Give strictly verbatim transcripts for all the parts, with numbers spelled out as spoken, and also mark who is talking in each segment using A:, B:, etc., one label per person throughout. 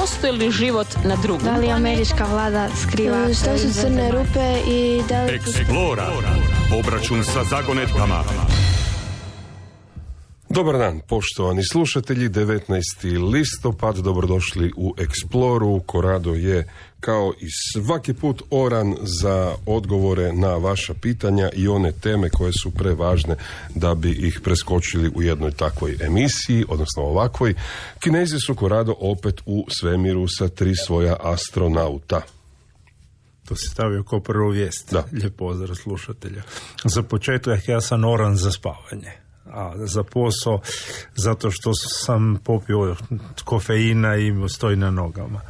A: postoji li život na drugom?
B: Da li američka vlada skriva?
C: Što su crne rupe i da li...
D: Eksplora. Obračun sa zagonetkama.
E: Dobar dan, poštovani slušatelji, devetnaesti listopad, dobrodošli u Eksploru. Korado je kao i svaki put oran za odgovore na vaša pitanja i one teme koje su prevažne da bi ih preskočili u jednoj takvoj emisiji, odnosno ovakvoj. Kinezi su, Korado, opet u svemiru sa tri svoja astronauta.
F: To se stavio kao prvu vijest.
E: Da.
F: Lijep pozdrav slušatelja. Za početak ja sam oran za spavanje. A za posao, zato što sam popio kofeina i stoji na nogama.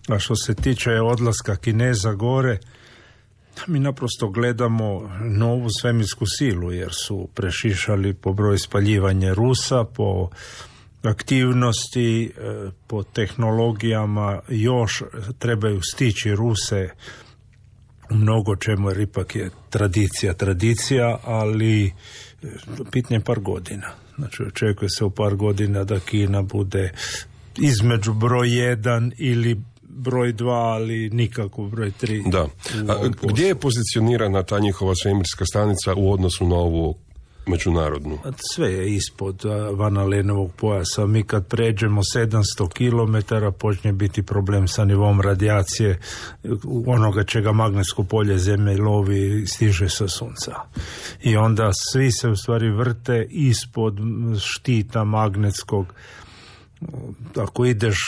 F: A što se tiče odlaska Kineza gore, mi naprosto gledamo novu svemirsku silu, jer su prešišali po broju spaljivanja Rusa, po aktivnosti, po tehnologijama, još trebaju stići Ruse u mnogo čemu, jer ipak je tradicija, tradicija, ali pitanje par godina. Znači, očekuje se u par godina da Kina bude između broj jedan ili broj dva, ali nikako broj tri.
E: Da. A gdje je pozicionirana ta njihova svemirska stanica u odnosu na ovu međunarodnu?
F: Sve je ispod Van Alenovog pojasa. Mi kad pređemo sedamsto kilometara počne biti problem sa nivom radijacije onoga čega magnetsko polje Zemlje lovi i stiže sa sunca. I onda svi se u stvari vrte ispod štita magnetskog. Ako ideš,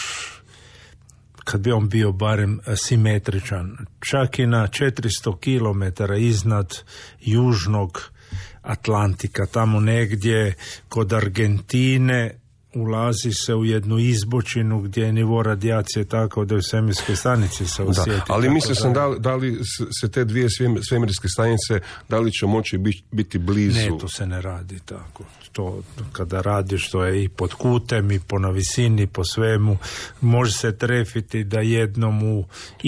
F: kad bi on bio barem simetričan, čak i na četiristo kilometara iznad južnog Atlantika, tamo negdje kod Argentine, ulazi se u jednu izbočinu gdje je nivo radijacije tako da je u svemirskoj stanici se osjeti.
E: Da, ali mislim sam da, da li se te dvije svemirske stanice, da li će moći biti blizu?
F: Ne, to se ne radi tako. To kada radiš, to je i pod kutem i po na visini, po svemu. Može se trefiti da jednom u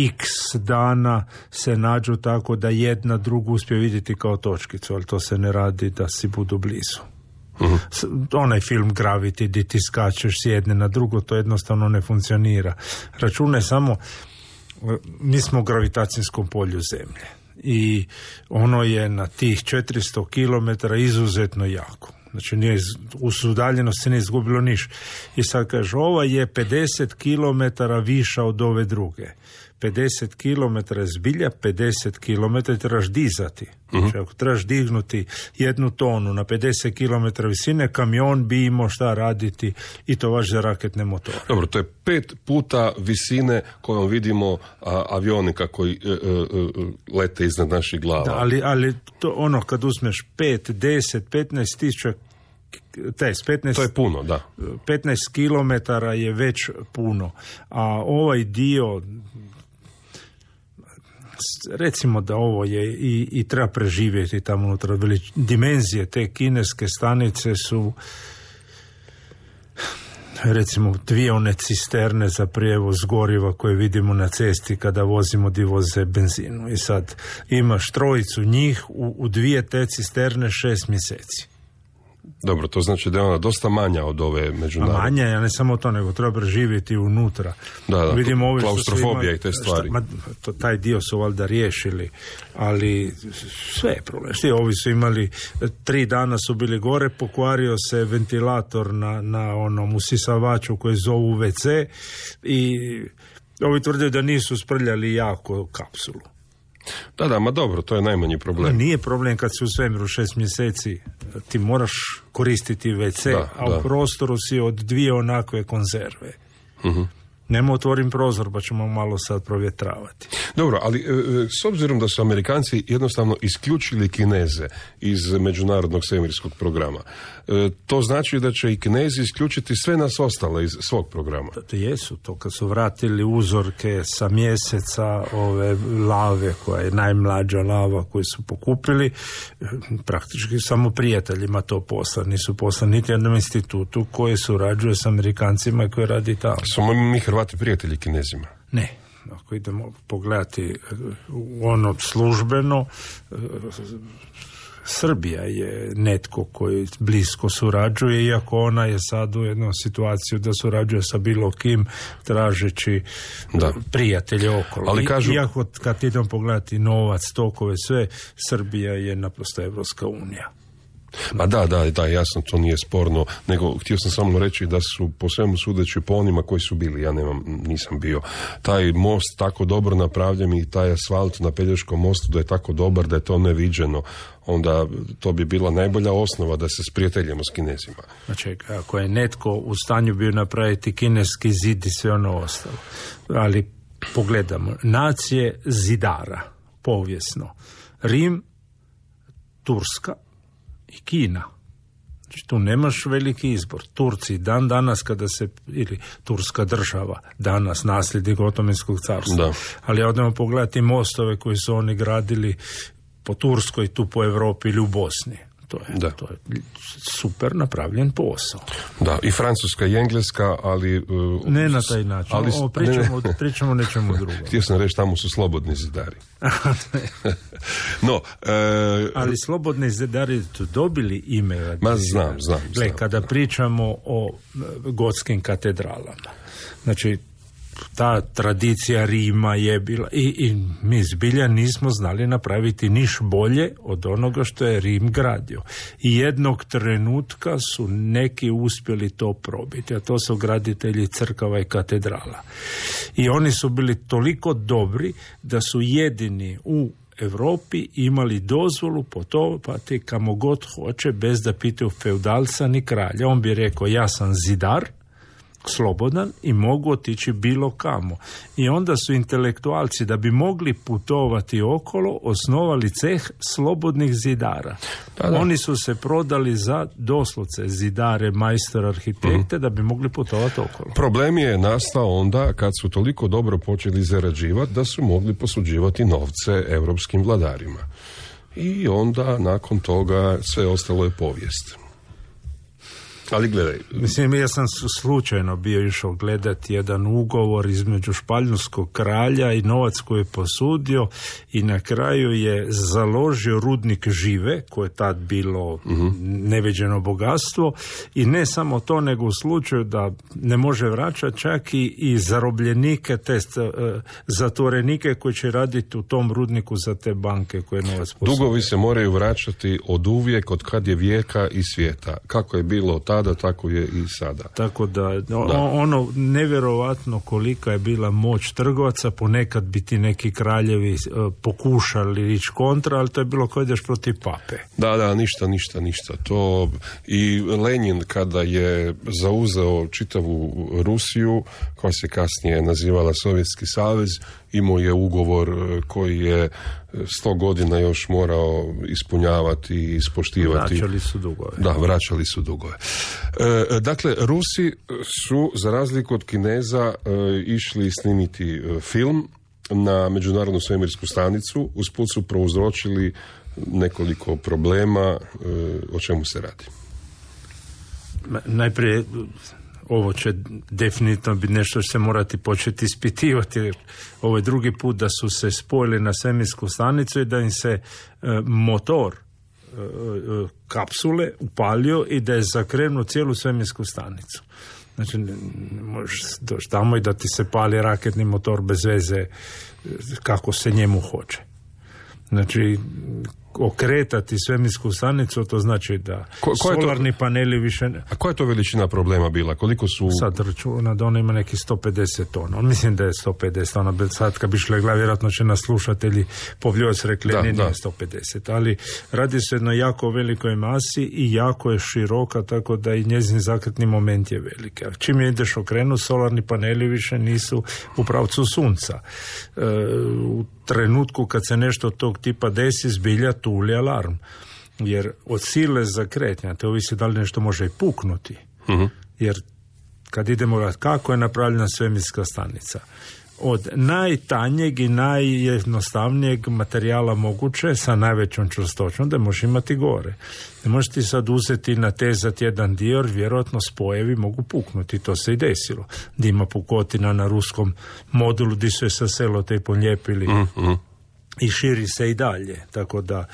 F: x dana se nađu tako da jedna drugu uspije vidjeti kao točkicu, ali to se ne radi da si budu blizu. Uh-huh. Onaj film Gravity gdje ti skačeš s jedne na drugo, to jednostavno ne funkcionira. Računaj samo, mi smo u gravitacijskom polju Zemlje i ono je na tih četiristo kilometara izuzetno jako. Znači, nije, u udaljenosti ne izgubilo niš. I sad kaže, ova je pedeset kilometara viša od ove druge. pedeset kilometara je zbilja, pedeset kilometara trebaš dizati. Uh-huh. Znači, ako trebaš dignuti jednu tonu na pedeset kilometara visine, kamion bi imao šta raditi i to vaš za raketne motore.
E: Dobro, to je pet puta visine kojom vidimo a, avionika koji e, e, e, lete iznad naših glava.
F: Da, ali, ali to ono kad uzmeš pet, deset, petnaest tisuća Test, petnaest,
E: to je puno, da.
F: petnaest kilometara je već puno. A ovaj dio, recimo da ovo je i, i treba preživjeti tamo unutra. Dimenzije te kineske stanice su, recimo, dvije one cisterne za prijevoz goriva koje vidimo na cesti kada vozimo di voze benzinu. I sad imaš trojicu njih u, u dvije te cisterne šest mjeseci.
E: Dobro, to znači da je ona dosta manja od ove međunarodne.
F: A manja, ja ne samo to, nego treba preživjeti unutra.
E: Da, da,
F: vidimo ovi
E: klaustrofobija
F: ima,
E: i te stvari.
F: Šta, ma, to, taj dio su valjda riješili, ali sve je problem. Šti, ovi su imali, tri dana su bili gore, pokvario se ventilator na, na onom usisavaču koji zovu ve ce i ovi tvrde da nisu sprljali jako kapsulu.
E: Da, da, ma dobro, to je najmanji problem.
F: Nije problem kad si u svemiru šest mjeseci, ti moraš koristiti ve ce,
E: da,
F: a
E: da.
F: u prostoru si od dvije onakve konzerve.
E: Uh-huh.
F: Nemo otvorim prozor, pa ćemo malo sad provjetravati.
E: Dobro, ali e, s obzirom da su Amerikanci jednostavno isključili Kineze iz međunarodnog svemirskog programa, e, to znači da će i Kinezi isključiti sve nas ostale iz svog programa.
F: To jesu, to kad su vratili uzorke sa mjeseca ove lave, koja je najmlađa lava koju su pokupili, praktički samo prijateljima to posla. Nisu poslani niti jednom institutu koji surađuje s Amerikancima i koji radi tamo.
E: Smo mi Hrvati prijatelji Kinezima?
F: Ne. Ako idemo pogledati ono službeno, Srbija je netko koji blisko surađuje, iako ona je sad u jednu situaciju da surađuje sa bilo kim, tražeći da. prijatelje okolo. Ali kažu... Iako kad idem pogledati novac, tokove, sve, Srbija je naprosto Evropska unija.
E: Ma da, da, da, jasno, to nije sporno, nego htio sam samo reći da su po svemu sudeći po onima koji su bili, ja nemam, nisam bio, taj most tako dobro napravljen i taj asfalt na Pelješkom mostu da je tako dobar da je to neviđeno, onda to bi bila najbolja osnova da se sprijateljimo s Kinezima.
F: Znači, ako je netko u stanju bio napraviti kineski zid i sve ono ostalo, ali pogledamo, nacije zidara, povijesno, Rim, Turska i Kina. Znači, tu nemaš veliki izbor. Turci dan danas kada se, ili Turska država danas nasljednik Otomanskog carstva. Da. Ali odemo pogledati mostove koji su oni gradili po Turskoj, tu po Europi ili u Bosni. To je, da. to je super napravljen posao.
E: Da, i Francuska i Engleska, ali... Uh,
F: ne na taj način. Ali, o, pričamo, ne, ne. pričamo nečemu drugom.
E: Htio sam reći, tamo su slobodni zidari. no, uh,
F: ali slobodni zidari su dobili ime.
E: Ma znam, znam.
F: Gle,
E: znam
F: kada
E: da.
F: pričamo o gotskim katedralama, znači ta tradicija Rima je bila i, i mi zbilja nismo znali napraviti niš bolje od onoga što je Rim gradio. I jednog trenutka su neki uspjeli to probiti, a to su graditelji crkava i katedrala. I oni su bili toliko dobri da su jedini u Europi imali dozvolu putovati kamo god hoće bez da pitaju feudalca ni kralja. On bi rekao, ja sam zidar, slobodan i mogu otići bilo kamo. I onda su intelektualci, da bi mogli putovati okolo, osnovali ceh slobodnih zidara. Da, da. Oni su se prodali za doslovce zidare, majstor, arhitekte, mm. da bi mogli putovati okolo.
E: Problem je nastao onda kad su toliko dobro počeli zarađivati da su mogli posuđivati novce europskim vladarima. I onda nakon toga sve ostalo je povijest. Ali gledaj.
F: Mislim, ja sam slučajno bio išao gledati jedan ugovor između španjolskog kralja i novac koji je posudio i na kraju je založio rudnik žive, koje je tad bilo uh-huh. neviđeno bogatstvo, i ne samo to, nego u slučaju da ne može vraćati čak i, i zarobljenike, te uh, zatvorenike koji će raditi u tom rudniku za te banke koje je novac posudio.
E: Dugovi se moraju vraćati od uvijek, od kad je vijeka i svijeta. Kako je bilo tada, da, tako je i sada.
F: Tako da, da. ono nevjerovatno kolika je bila moć trgovaca, ponekad bi ti neki kraljevi uh, pokušali ići kontra, ali to je bilo kao ideš protiv pape.
E: Da, da, ništa, ništa, ništa. To i Lenin kada je zauzeo čitavu Rusiju, koja se kasnije nazivala Sovjetski savez, imao je ugovor koji je sto godina još morao ispunjavati i ispoštivati.
F: Vraćali su dugove.
E: Da, vraćali su dugove. E, dakle, Rusi su, za razliku od Kineza, e, išli snimiti e, film na Međunarodnu svemirsku stanicu. Usput su prouzročili nekoliko problema. E, o čemu se radi?
F: Najprije, ovo će definitivno biti nešto što se morati početi ispitivati. Ovo je drugi put da su se spojili na svemirsku stanicu i da im se e, motor e, kapsule upalio i da je zakrenuo cijelu svemirsku stanicu. Znači, možeš doći tamo i da ti se pali raketni motor bez veze kako se njemu hoće. Znači, okretati svemirsku stanicu, to znači da ko, ko solarni to, paneli više...
E: A koja je to veličina problema bila? Koliko su...
F: Sad računa da ona ima neki sto pedeset tona. Mislim da je sto pedeset tona. Sad kad bi šle gleda, vjerojatno će nas slušatelji povljovac rekli, da, ne, nije sto pedeset. Ali radi se jedno jako velikoj masi i jako je široka, tako da i njezin zakretni moment je veliki. A čim je ideš okrenuti, solarni paneli više nisu u pravcu sunca. E, u trenutku kad se nešto tog tipa desi, zbilja tuli alarm. Jer od sile zakretanja, te ovisi da li nešto može i puknuti. Uh-huh. Jer kad idemo gledati kako je napravljena svemirska stanica, od najtanjeg i najjednostavnijeg materijala moguće sa najvećom čvrstoćom da možeš imati gore. Ne možeš ti sad uzeti i natezati jedan dio, jer vjerojatno spojevi mogu puknuti. To se i desilo. Da ima pukotina na ruskom modulu gdje su je sa selotejpom lijepili. Mm-hmm. i širi se i dalje, tako da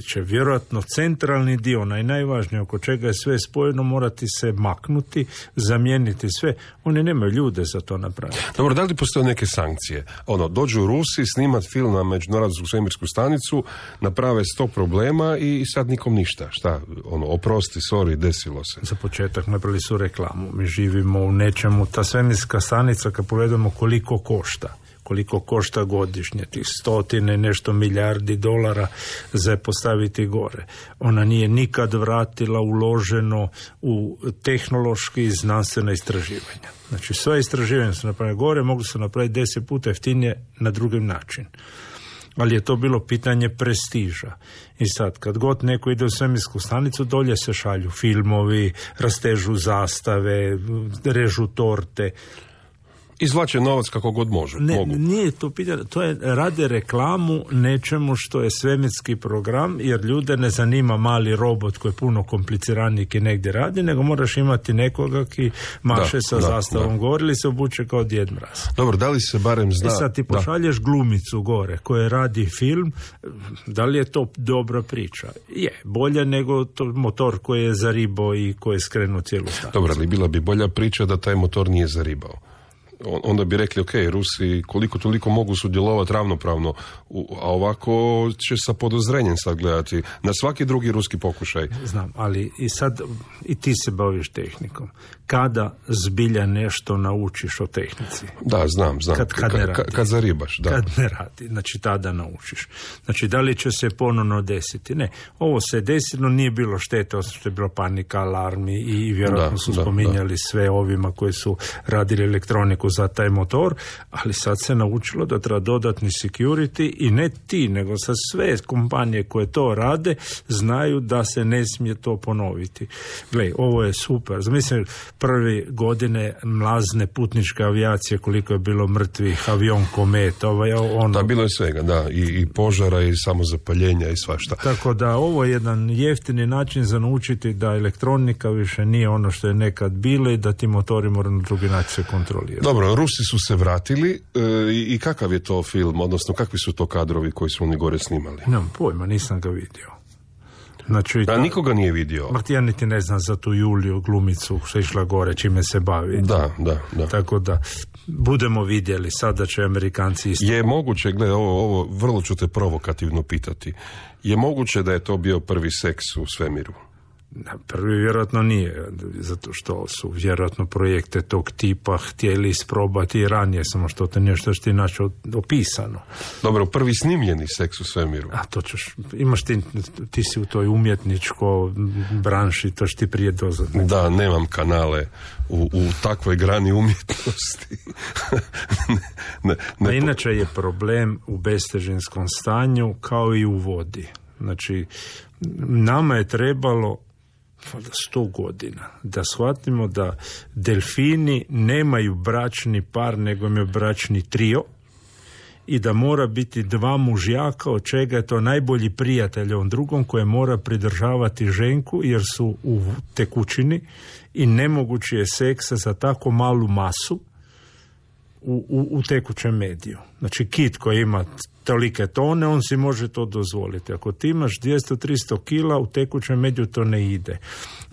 F: će vjerojatno centralni dio, onaj najvažniji oko čega je sve spojeno, morati se maknuti, zamijeniti sve. Oni nemaju ljude za to napraviti.
E: Dobro, da li postoje neke sankcije? Ono, dođu Rusi snimat film na Međunarodnu svemirsku stanicu, naprave sto problema i sad nikom ništa. Šta? Ono, oprosti, sorry, desilo se.
F: Za početak napravili su reklamu. Mi živimo u nečemu, ta svemirska stanica, kad pogledamo koliko košta, koliko košta godišnje, tih stotine nešto milijardi dolara za postaviti gore. Ona nije nikad vratila uloženo u tehnološki i znanstvena istraživanja. Znači, sve istraživanja su napravljene gore, mogu se napraviti deset puta jeftinije na drugi način. Ali je to bilo pitanje prestiža. I sad, kad god neko ide u svemirsku stanicu, dolje se šalju filmovi, rastežu zastave, režu torte.
E: Izvlače novac kako god može.
F: Ne,
E: mogu.
F: Nije to pitanje, to je rade reklamu nečemu što je svemirski program, jer ljude ne zanima mali robot koji je puno kompliciraniji ki negdje radi, nego moraš imati nekoga ki maše da, sa da, zastavom da. Gore ili se obuče kao Djed Mraz.
E: Dobro, da li se barem zna...
F: I sad ti pošalješ da. glumicu gore koja radi film, da li je to dobra priča? Je, bolje nego to motor koji je zaribao i koji je skrenuo cijelu stanicu.
E: Dobro, ali bila bi bolja priča da taj motor nije zaribao. Onda bi rekli, ok, Rusi koliko toliko mogu sudjelovati ravnopravno, a ovako će sa podozrenjem sad gledati na svaki drugi ruski pokušaj.
F: Znam, ali i sad i ti se baviš tehnikom. Kada zbilja nešto naučiš o tehnici?
E: Da, znam, znam.
F: Kad, kad ne radi.
E: Kad, kad zaribaš, da.
F: Kad ne radi, znači tada naučiš. Znači, da li će se ponovno desiti? Ne, ovo se desilo, nije bilo štete, osim što je bilo panika, alarmi i vjerojatno da, su da, spominjali da. sve ovima koji su radili elektroniku za taj motor, ali sad se naučilo da treba dodatni security i ne ti, nego sa sve kompanije koje to rade znaju da se ne smije to ponoviti. Gle, ovo je super. Zamislim, prve godine mlazne putničke avijacije, koliko je bilo mrtvih, avion Komet, ovaj, ono...
E: Da, bilo je svega, da, i, i požara i samozapaljenja i svašta.
F: Tako da ovo je jedan jeftini način za naučiti da elektronika više nije ono što je nekad bilo i da ti motori moraju na drugi način se kontrolirati.
E: Dobro, Rusi su se vratili e, i kakav je to film, odnosno kakvi su to kadrovi koji su oni gore snimali?
F: Nemam pojma, nisam ga vidio. Znači,
E: da, nikoga nije vidio.
F: Ma ja niti ne znam za tu Juliju glumicu što je išla gore, čime se bavi.
E: Da, da, da.
F: Tako da, budemo vidjeli, sada će Amerikanci isto.
E: Je moguće, gle, ovo, ovo vrlo ću te provokativno pitati, je moguće da je to bio prvi seks u svemiru?
F: Prvi vjerojatno nije, zato što su vjerojatno projekte tog tipa htjeli isprobati i ranije, samo što to nešto što ti naći opisano.
E: Dobro, prvi snimljeni seks u svemiru.
F: A to ćeš, imaš ti, ti si u toj umjetničko branši, to što ti prije doznati.
E: Da, nemam kanale u, u takvoj grani umjetnosti. ne, ne,
F: A inače je problem u bestežinskom stanju kao i u vodi. Znači, nama je trebalo sto godina da shvatimo da delfini nemaju bračni par, nego imaju bračni trio i da mora biti dva mužjaka, od čega je to najbolji prijatelj ovom drugom koje mora pridržavati ženku jer su u tekućini i nemogući je seksa za tako malu masu u, u, u tekućem mediju. Znači kit koji ima tolike tone, on si može to dozvoliti. Ako ti imaš dvjesto do tristo kila, u tekućem mediju to ne ide.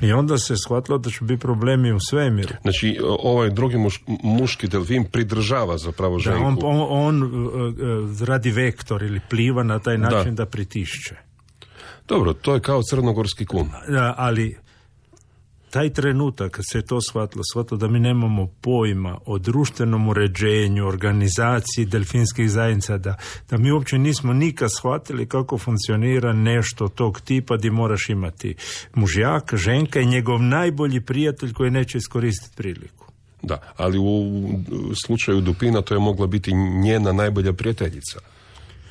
F: I onda se shvatilo da će biti problemi u svemiru.
E: Znači, ovaj drugi muš, muški delfin pridržava zapravo ženku.
F: Da, on, on, on uh, radi vektor ili pliva na taj način da, da pritišće.
E: Dobro, to je kao crnogorski kun.
F: Da, ali taj trenutak kad se je to shvatilo, shvatilo da mi nemamo pojma o društvenom uređenju, organizaciji delfinskih zajednica, da, da mi uopće nismo nikad shvatili kako funkcionira nešto tog tipa gdje moraš imati mužjak, ženka i njegov najbolji prijatelj koji neće iskoristiti priliku.
E: Da, ali u slučaju Dupina to je mogla biti njena najbolja prijateljica.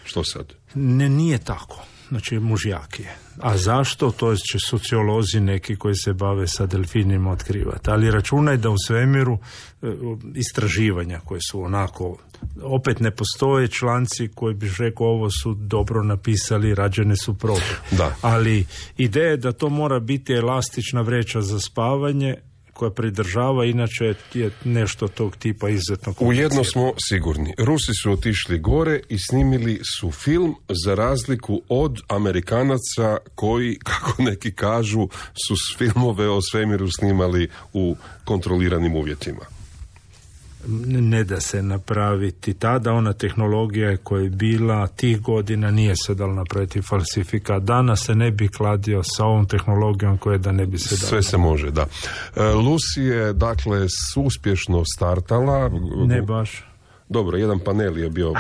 E: Što sad?
F: Ne, nije tako. Znači mužjak je. A zašto? To će sociolozi neki koji se bave sa delfinima otkrivati. Ali računaj da u svemiru e, istraživanja koje su onako, opet ne postoje članci koji bi rekao ovo su dobro napisali, rađene su probe.
E: Da.
F: Ali ideja je da to mora biti elastična vreća za spavanje koja pridržava, inače je nešto tog tipa izuzetno komplicirano.
E: U jedno smo sigurni. Rusi su otišli gore i snimili su film za razliku od Amerikanaca koji, kako neki kažu, su filmove o svemiru snimali u kontroliranim uvjetima.
F: Ne da se napraviti. Tada ona tehnologija koja je bila tih godina nije se dala napraviti falsifikat. Danas se ne bi kladio sa ovom tehnologijom koja da ne bi se dala.
E: Sve se može, da. Lucy je, dakle, uspješno startala.
F: Ne baš.
E: Dobro, jedan panel je bio...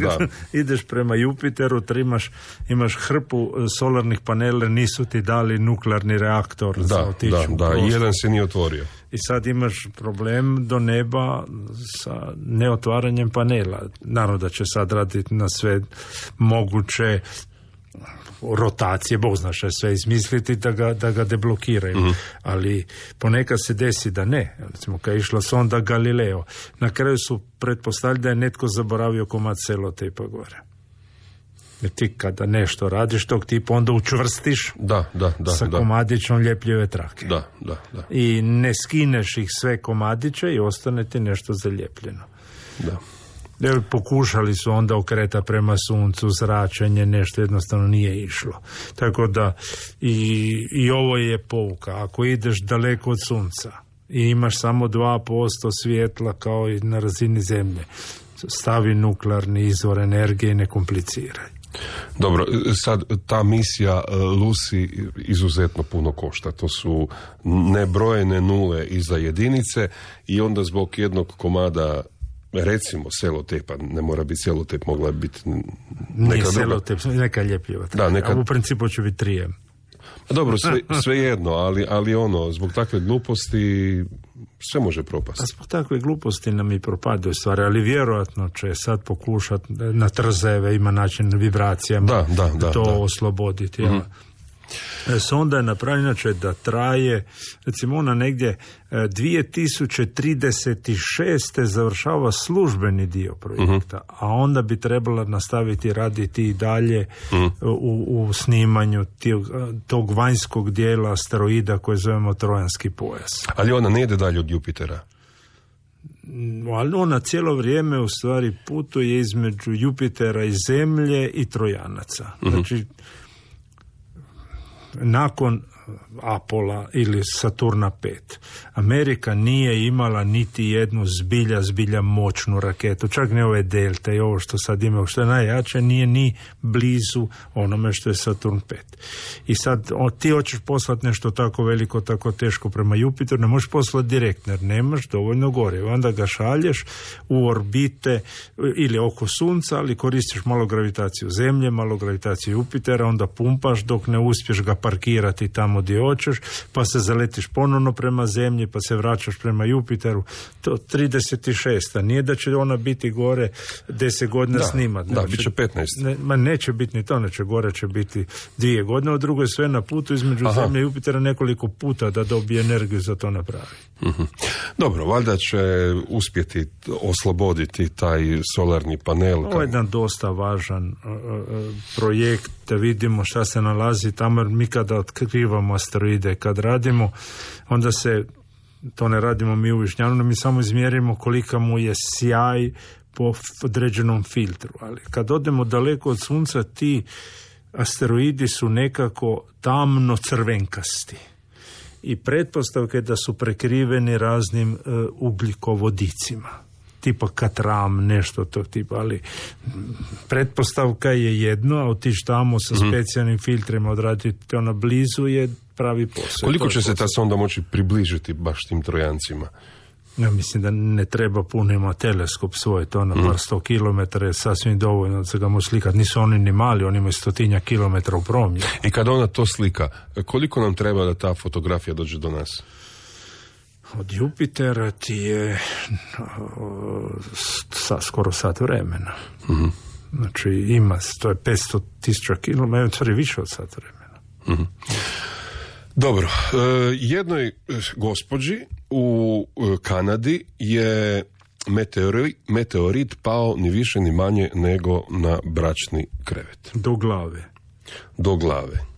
E: da.
F: Ideš prema Jupiteru, imaš, imaš hrpu solarnih panela, nisu ti dali nuklearni reaktor
E: da,
F: za otići
E: da,
F: u
E: da,
F: prostor.
E: jedan se nije otvorio.
F: I sad imaš problem do neba sa neotvaranjem panela. Naravno da će sad raditi na sve moguće rotacije, Bog zna što sve izmisliti da ga, da ga deblokiraju. Mm-hmm. Ali ponekad se desi da ne. Recimo kad je išla sonda Galileo, na kraju su pretpostavili da je netko zaboravio komad selotepa gore. Jer ti kada nešto radiš tog tipa, onda učvrstiš
E: da, da, da,
F: sa
E: da.
F: komadićom ljepljive trake.
E: Da, da, da.
F: I ne skineš ih sve komadiće i ostane ti nešto zaljepljeno.
E: Da.
F: Jer pokušali su onda okreta prema suncu, zračenje, nešto jednostavno nije išlo. Tako da i, i ovo je pouka. Ako ideš daleko od sunca i imaš samo dva posto svjetla kao i na razini zemlje, stavi nuklearni izvor energije i ne kompliciraj.
E: Dobro, sad ta misija Lucy izuzetno puno košta. To su nebrojene nule iza jedinice i onda zbog jednog komada, recimo selotepa, ne mora biti selotep, mogla biti neka
F: Nije
E: druga.
F: selotep, neka ljepljiva.
E: Da, neka...
F: A u principu će biti trijem.
E: Dobro, sve, sve jedno, ali, ali ono, zbog takve gluposti sve može propasti.
F: A zbog takve gluposti nam i propadaju stvari, ali vjerojatno će sad pokušati na trzeve, ima način vibracijama
E: da, da, da,
F: to
E: da.
F: osloboditi.
E: Mm-hmm.
F: Sonda je napravljena inače da traje, recimo ona negdje dvije tisuće trideset šeste završava službeni dio projekta, mm-hmm. a onda bi trebala nastaviti raditi i dalje mm-hmm. u, u snimanju tog, tog vanjskog dijela asteroida koje zovemo Trojanski pojas.
E: Ali ona ne ide dalje od Jupitera?
F: Ali ona cijelo vrijeme u stvari putuje između Jupitera i Zemlje i Trojanaca. Mm-hmm. Znači, nakon Apola ili Saturna pet, Amerika nije imala niti jednu zbilja, zbilja moćnu raketu, čak ne ove Delte i ovo što sad ima, što je najjače, nije ni blizu onome što je Saturn pet. I sad o, ti hoćeš poslati nešto tako veliko, tako teško prema Jupiteru, ne možeš poslati direktno, jer nemaš dovoljno gore. Onda ga šalješ u orbite ili oko Sunca, ali koristiš malo gravitaciju Zemlje, malo gravitaciju Jupitera, onda pumpaš dok ne uspješ ga parkirati tamo gdje hoćeš, pa se zaletiš ponovno prema Zemlji, pa se vraćaš prema Jupiteru. To trideset šest. Nije da će ona biti gore deset godina
E: da,
F: snimat.
E: Da, bit će petnaest.
F: Ne, ma neće biti ni to, neće gore će biti dvije godine, a drugo je sve na putu između Aha. Zemlje i Jupitera nekoliko puta da dobije energiju za to napravi.
E: Mm-hmm. Dobro, valjda će uspjeti osloboditi taj solarni panel.
F: Ovo je jedan dosta važan uh, uh, projekt da vidimo šta se nalazi tamo, jer mi kada otkrivamo asteroide, kad radimo, onda se, to ne radimo mi u Višnjanu, mi samo izmjerimo kolika mu je sjaj po određenom filtru. Ali kad odemo daleko od Sunca, ti asteroidi su nekako tamno crvenkasti. I pretpostavka je da su prekriveni raznim uh, ugljikovodicima. Tipa katram, nešto tog tipa, ali pretpostavka je jedno, a otići tamo sa specijalnim filtrima odraditi to na blizu je pravi posao.
E: Koliko će se ta sonda moći približiti baš tim Trojancima?
F: Ja mislim da ne treba puno, ima teleskop svoj, to na par sto kilometara je sasvim dovoljno da se ga može slikati. Nisu oni ni mali, oni imaju stotinja kilometra u promjenu.
E: I kada ona to slika, koliko nam treba da ta fotografija dođe do nas?
F: Od Jupitera ti je sa, skoro sat vremena. Mm-hmm. Znači ima, to je petsto tisuća kilometara, to je više od sat vremena.
E: Mm-hmm. Dobro, e, jednoj gospođi u Kanadi je meteorit, meteorit pao ni više ni manje nego na bračni krevet.
F: Do glave.
E: Do glave.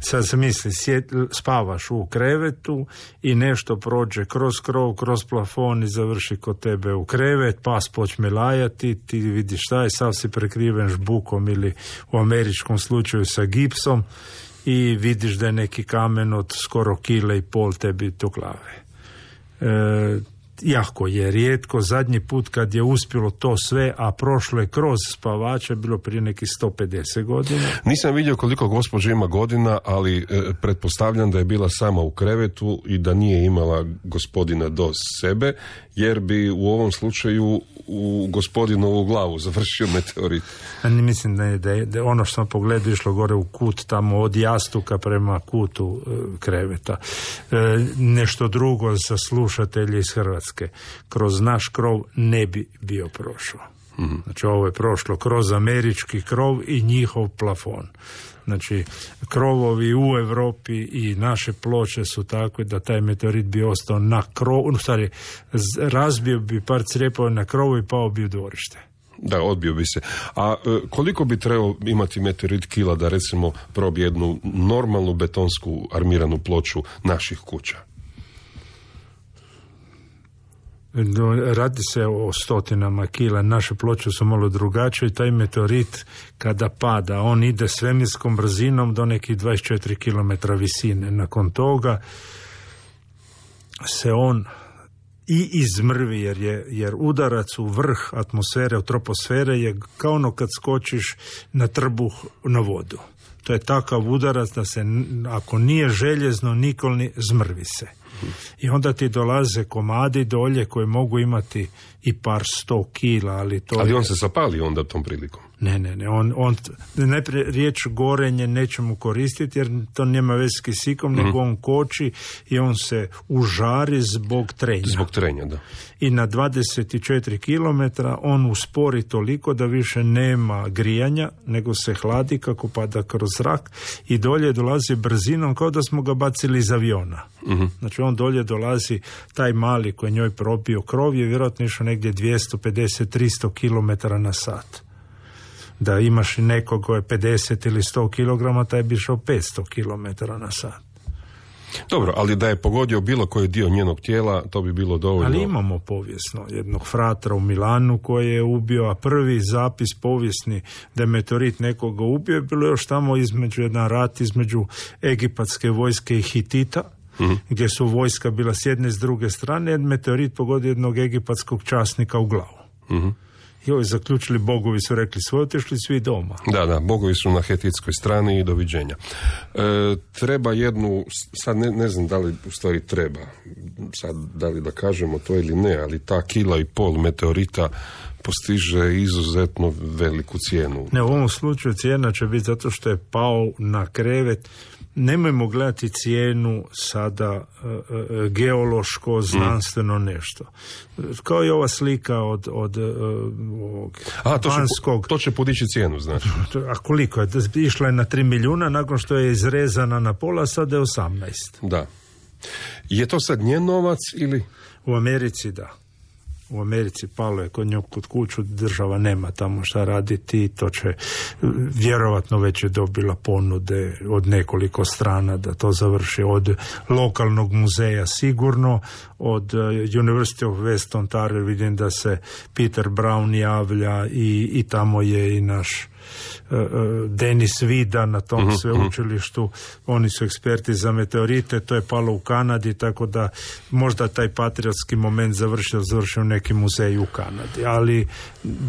F: sad se misli, sjet, spavaš u krevetu i nešto prođe kroz krov, kroz plafon i završi kod tebe u krevet, pas počne lajati, ti vidiš šta je, sav si prekriven žbukom ili u američkom slučaju sa gipsom i vidiš da je neki kamen od skoro kile i pol tebi do glave. E, jako je rijetko. Zadnji put kad je uspjelo to sve, a prošlo je kroz spavača, bilo prije nekih sto pedeset godina.
E: Nisam vidio koliko gospođa ima godina, ali e, pretpostavljam da je bila sama u krevetu i da nije imala gospodina do sebe, jer bi u ovom slučaju u gospodinovu glavu završio meteorit.
F: A ne mislim da je, da je, da je ono što sam pogledao išlo gore u kut, tamo od jastuka prema kutu e, kreveta. E, nešto drugo za slušatelje iz Hrvatske. Kroz naš krov ne bi bio prošao. Mm-hmm. Znači ovo je prošlo kroz američki krov i njihov plafon. Znači krovovi u Europi i naše ploče su takve da taj meteorit bi ostao na krovu, stvari, razbio bi par crjepova na krovu i pao bi u dvorište.
E: Da, odbio bi se. A e, koliko bi trebao imati meteorit kila da recimo probije jednu normalnu betonsku armiranu ploču naših kuća?
F: Radi se o stotinama kila, naše ploče su malo drugačije i taj meteorit kada pada, on ide svemirskom brzinom do nekih dvadeset četiri kilometra visine. Nakon toga se on i izmrvi jer, je, jer udarac u vrh atmosfere, u troposfere je kao ono kad skočiš na trbuh na vodu. To je takav udarac da se, ako nije željezno, nikol ni zmrvi se. I onda ti dolaze komadi dolje koji mogu imati i par sto kila, ali to
E: Ali
F: je...
E: on se zapali onda tom prilikom.
F: Ne, ne, ne, on, on najprije riječ gorenje nećemo koristiti jer to nema veze s kisikom, mm-hmm. nego on koči i on se užari zbog trenja.
E: Zbog trenja, da.
F: I na dvadeset četiri kilometra on uspori toliko da više nema grijanja, nego se hladi kako pada kroz zrak i dolje dolazi brzinom kao da smo ga bacili iz aviona. Mm-hmm. Znači on dolje dolazi, taj mali koji je njoj probio krov je vjerojatno išao negdje dvjesto pedeset do tristo kilometara na sat. Da imaš i nekog koji je pedeset ili sto kilograma, taj bi išao petsto kilometara na sat.
E: Dobro, ali da je pogodio bilo koji dio njenog tijela, to bi bilo dovoljno.
F: Ali imamo povijesno jednog fratra u Milanu koji je ubio, a prvi zapis povijesni da je meteorit nekoga ubio je bilo još tamo između jedan rat između egipatske vojske i Hitita, mm-hmm. gdje su vojska bila s jedne i s druge strane, jer meteorit pogodio jednog egipatskog časnika u glavu. Mm-hmm. I ovi zaključili, bogovi su rekli svoje, otišli svi doma.
E: Da, da, bogovi su na hetitskoj strani i doviđenja. E, treba jednu, sad ne, ne znam da li u stvari treba, sad da li da kažemo to ili ne, ali ta kila i pol meteorita postiže izuzetno veliku cijenu.
F: Ne, u ovom slučaju cijena će biti zato što je pao na krevet. Nemojmo gledati cijenu sada uh, uh, geološko, znanstveno mm. nešto. Kao i ova slika od, od uh, ovog
E: A, to
F: panskog...
E: će, to će podići cijenu, znači.
F: A koliko je? Išla je na tri milijuna, nakon što je izrezana na pola, sada je osamnaest.
E: Da. Je to sad njen novac ili...
F: U Americi da. U Americi palo je kod nju kod kuću, država nema tamo šta raditi, to će vjerovatno već je dobila ponude od nekoliko strana da to završi, od lokalnog muzeja sigurno, od University of West Ontario vidim da se Peter Brown javlja i, i tamo je i naš uh, Denis Vida na tom uh-huh, sveučilištu, uh-huh. Oni su eksperti za meteorite, to je palo u Kanadi, tako da možda taj patriotski moment završio, završio neki muzej u Kanadi, ali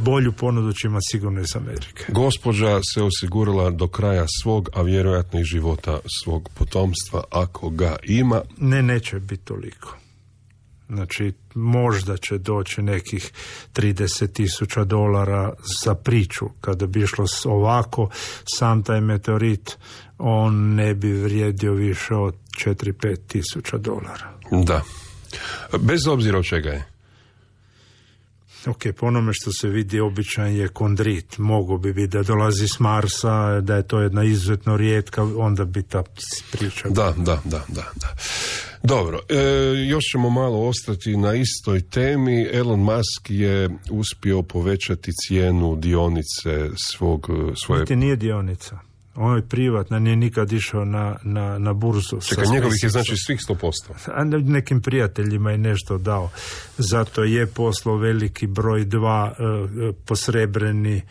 F: bolju ponudu će imati sigurno iz Amerike.
E: Gospođa se osigurala do kraja svog, a vjerojatno i života svog potomstva, ako ga ima.
F: Ne, neće biti toliko. Znači, možda će doći nekih trideset tisuća dolara za priču. Kada bi išlo ovako, sam taj meteorit, on ne bi vrijedio više od četiri do pet tisuća dolara.
E: Da. Bez obzira od čega je?
F: Ok, po onome što se vidi običan je kondrit. Mogu bi biti da dolazi s Marsa, da je to jedna izuzetno rijetka, onda bi ta priča...
E: Da, da, da, da, da. Dobro, e, još ćemo malo ostati na istoj temi. Elon Musk je uspio povećati cijenu dionice svog... svoje...
F: Niti nije dionica. On je privatna, nije nikad išao na, na, na burzu.
E: Čekaj, njegovih je znači svih sto posto.
F: A nekim prijateljima je nešto dao. Zato je poslao veliki broj dva uh, posrebreni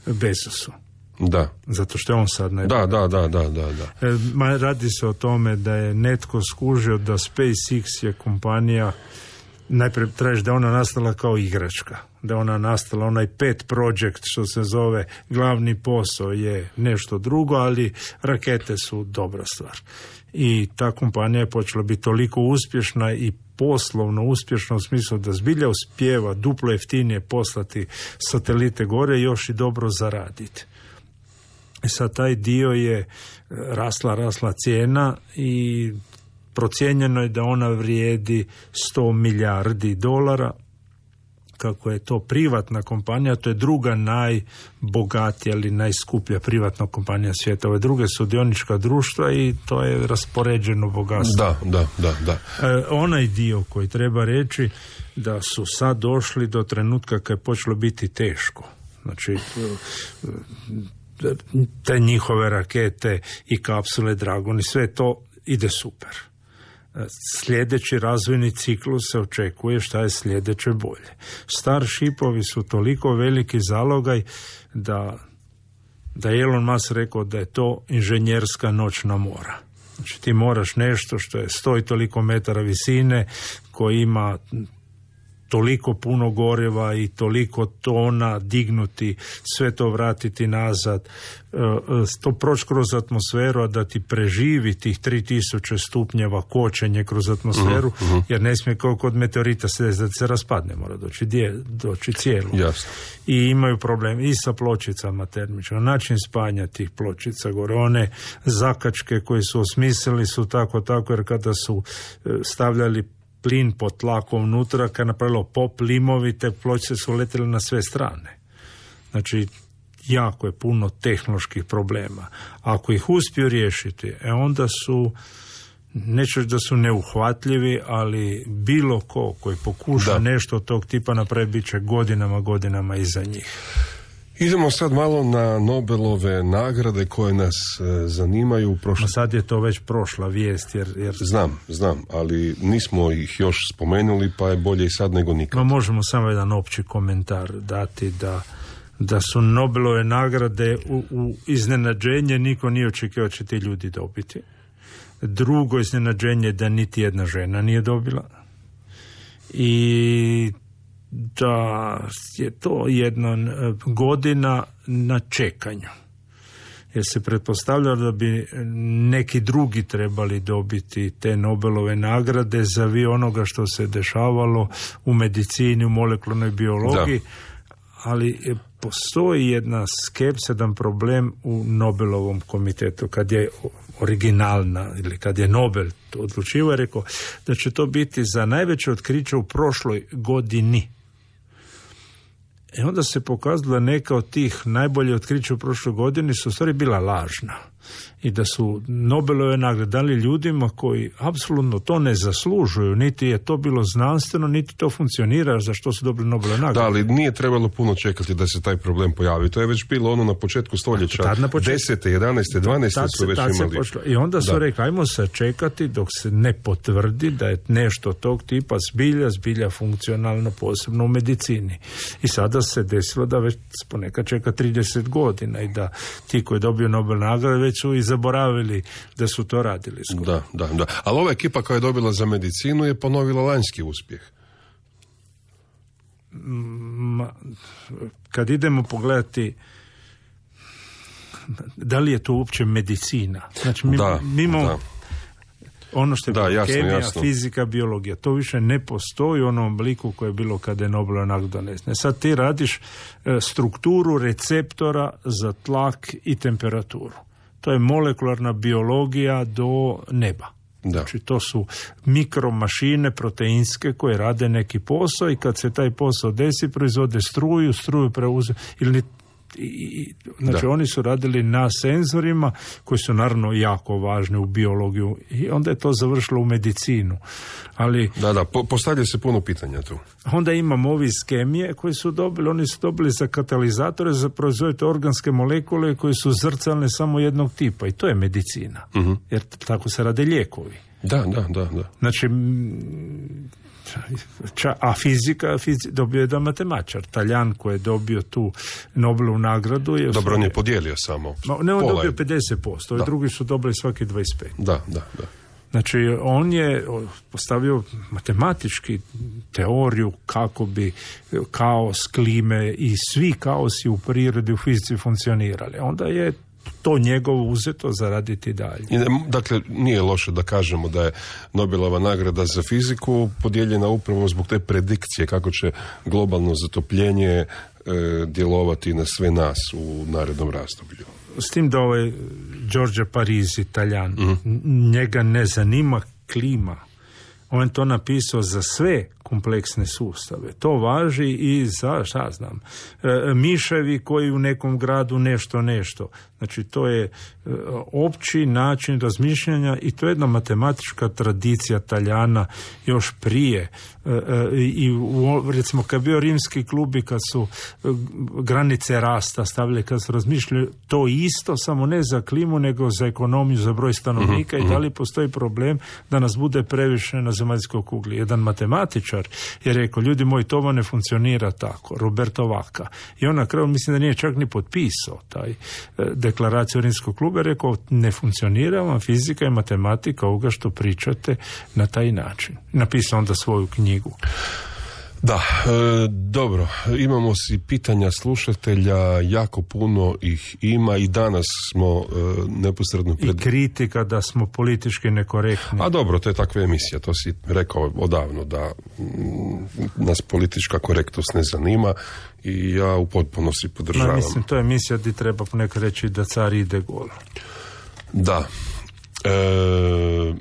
F: Bezosu.
E: Da.
F: Zato što je on sad najbolji.
E: Da, da, da, da, da, da.
F: E, ma, radi se o tome da je netko skužio da SpaceX je kompanija, najprije tražiš da je ona nastala kao igračka, da je ona nastala, onaj pet project što se zove, glavni posao je nešto drugo, ali rakete su dobra stvar. I ta kompanija je počela biti toliko uspješna i poslovno uspješno u smislu da zbilja uspijeva duplo jeftinije poslati satelite gore i još i dobro zaraditi. I sad taj dio je rasla, rasla cijena i procijenjeno je da ona vrijedi sto milijardi dolara. Kako je to privatna kompanija, to je druga najbogatija ili najskuplja privatna kompanija svijeta. Ove druge su dionička društva i to je raspoređeno bogatstvo.
E: Da, da, da, da.
F: E, onaj dio koji treba reći da su sad došli do trenutka kad je počelo biti teško. Znači, te njihove rakete i kapsule Dragon i sve to ide super. Sljedeći razvojni ciklus se očekuje šta je sljedeće bolje. Starshipovi su toliko veliki zalogaj da, da je Elon Musk rekao da je to inženjerska noćna mora. Znači ti moraš nešto što je sto i toliko metara visine, koji ima toliko puno goriva i toliko tona dignuti, sve to vratiti nazad, to proći kroz atmosferu, a da ti preživi tih tri tisuće stupnjeva kočenje kroz atmosferu, uh-huh. jer ne smije kao kod meteorita se da se raspadne, mora doći, dje, doći cijelo.
E: Jasno.
F: I imaju problem i sa pločicama termičama, način spanja tih pločica gore, one zakačke koje su osmislili su tako tako, jer kada su stavljali plin pod tlakom unutra, kad je napravilo pop limovi, te pločice su letjele na sve strane. Znači, jako je puno tehnoloških problema. Ako ih uspiju riješiti, e onda su, neću da su neuhvatljivi, ali bilo ko koji pokuša da. nešto tog tipa napraviti, bit će godinama, godinama iza njih.
E: Idemo sad malo na Nobelove nagrade koje nas e, zanimaju. Prošle...
F: Sad je to već prošla vijest. Jer, jer...
E: Znam, znam, ali nismo ih još spomenuli, pa je bolje i sad nego nikad.
F: No, možemo samo jedan opći komentar dati da, da su Nobelove nagrade u, u iznenađenje, niko nije očekivao će ti ljudi dobiti. Drugo iznenađenje da niti jedna žena nije dobila. I da je to jedna godina na čekanju. Jer se pretpostavlja da bi neki drugi trebali dobiti te Nobelove nagrade za vi onoga što se dešavalo u medicini, u molekularnoj biologiji, da. ali postoji jedna skepsa, jedan problem u Nobelovom komitetu. Kad je originalna ili kad je Nobel to odlučivao, je rekao da će to biti za najveće otkriće u prošloj godini. I onda se pokazalo da neka od tih najbolje otkrića u prošloj godini su u stvari bila lažna. I da su Nobelove nagrade dali ljudima koji apsolutno to ne zaslužuju, niti je to bilo znanstveno, niti to funkcionira, za što su dobili Nobelove nagrade.
E: Da, ali nije trebalo puno čekati da se taj problem pojavi. To je već bilo ono na početku stoljeća,
F: na početku,
E: desete, jedanaeste, dvanaeste su već imali.
F: I onda su da. rekli, ajmo se čekati dok se ne potvrdi da je nešto tog tipa zbilja, zbilja funkcionalno, posebno u medicini. I sada se desilo da već ponekad čeka trideset godina i da ti koji dobiju Nobel nagrade već su i zaboravili da su to radili skoro.
E: Da, da, da. Ali ova ekipa koja je dobila za medicinu je ponovila lanjski uspjeh.
F: Ma, kad idemo pogledati da li je to uopće medicina. Znači, mi,
E: da,
F: mi imamo
E: da.
F: ono što je
E: da, jasno,
F: kemija,
E: jasno.
F: fizika, biologija. To više ne postoji u onom obliku koje je bilo kada je Nobelova nagrada donesena. Sad ti radiš e, strukturu receptora za tlak i temperaturu. To je molekularna biologija do neba. Da. Znači to su mikromašine proteinske koje rade neki posao i kad se taj posao desi proizvode struju, struju preuze ili I, znači
E: da.
F: oni su radili na senzorima koji su naravno jako važni u biologiju i onda je to završilo u medicinu. Ali
E: da, da, po, postavlja se puno pitanja tu.
F: Onda imamo ovi iz kemije koji su dobili, oni su dobili za katalizatore za proizvoditi organske molekule koji su zrcalne samo jednog tipa i to je medicina. Uh-huh. Jer tako se rade lijekovi.
E: Da, da, da, da.
F: Znači, ča, a fizika, fizi, dobio je jedan matematičar, Taljan koji je dobio tu Nobelovu nagradu. Je
E: Dobro, on je podijelio samo.
F: Ma, ne, on
E: pola
F: dobio pedeset posto, ovi drugi su dobili svaki dvadeset pet.
E: Da, da, da.
F: Znači, on je postavio matematički teoriju kako bi kaos, klime i svi kaosi u prirodi, u fizici funkcionirali. Onda je to njegovo uzeto zaraditi dalje.
E: I, dakle, nije loše da kažemo da je Nobelova nagrada za fiziku podijeljena upravo zbog te predikcije kako će globalno zatopljenje e, djelovati na sve nas u narednom razdoblju.
F: S tim da ovaj Giorgio Parisi, Italijan, mm. njega ne zanima klima. On je to napisao za sve kompleksne sustave. To važi i za, šta znam, e, miševi koji u nekom gradu nešto nešto. Znači, to je e, opći način razmišljanja i to je jedna matematička tradicija Taljana još prije. E, e, I u, recimo, kad bio rimski klubi, kad su e, granice rasta stavili, kad su razmišljali to isto, samo ne za klimu, nego za ekonomiju, za broj stanovnika mm-hmm. i da li postoji problem da nas bude previše na zemaljskoj kugli. Jedan matematičar je rekao, ljudi moji, to vam ne funkcionira tako, Roberto Vaca. I on na kraju, mislim da nije čak ni potpisao taj e, deklaraciju Rimskog kluba, je rekao, ne funkcionira vam fizika i matematika ovoga što pričate na taj način. Napisao onda svoju knjigu.
E: Da, e, dobro, imamo si pitanja slušatelja, jako puno ih ima i danas smo e, neposredno pred...
F: I kritika da smo politički nekorektni.
E: A dobro, to je takva emisija, to si rekao odavno da m, nas politička korektnost ne zanima i ja u potpunosti podržavam.
F: No, mislim, to je emisija gdje treba ponekad reći da car ide gol.
E: Da. E,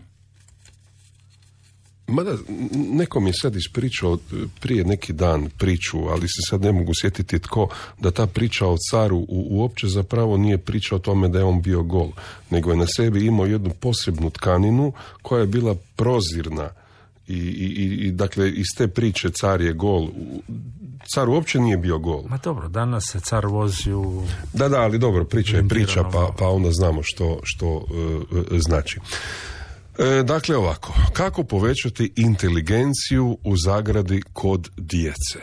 E: Mada, neko mi je sad ispričao prije neki dan priču, ali se sad ne mogu sjetiti tko, da ta priča o caru u, uopće zapravo nije priča o tome da je on bio gol, nego je na sebi imao jednu posebnu tkaninu koja je bila prozirna i, i, i dakle iz te priče car je gol. Car uopće nije bio gol.
F: Ma dobro, danas se car vozi u...
E: Da, da, ali dobro, priča je priča, pa, pa onda znamo što, što uh, znači. E, dakle ovako, kako povećati inteligenciju u zagradi kod djece?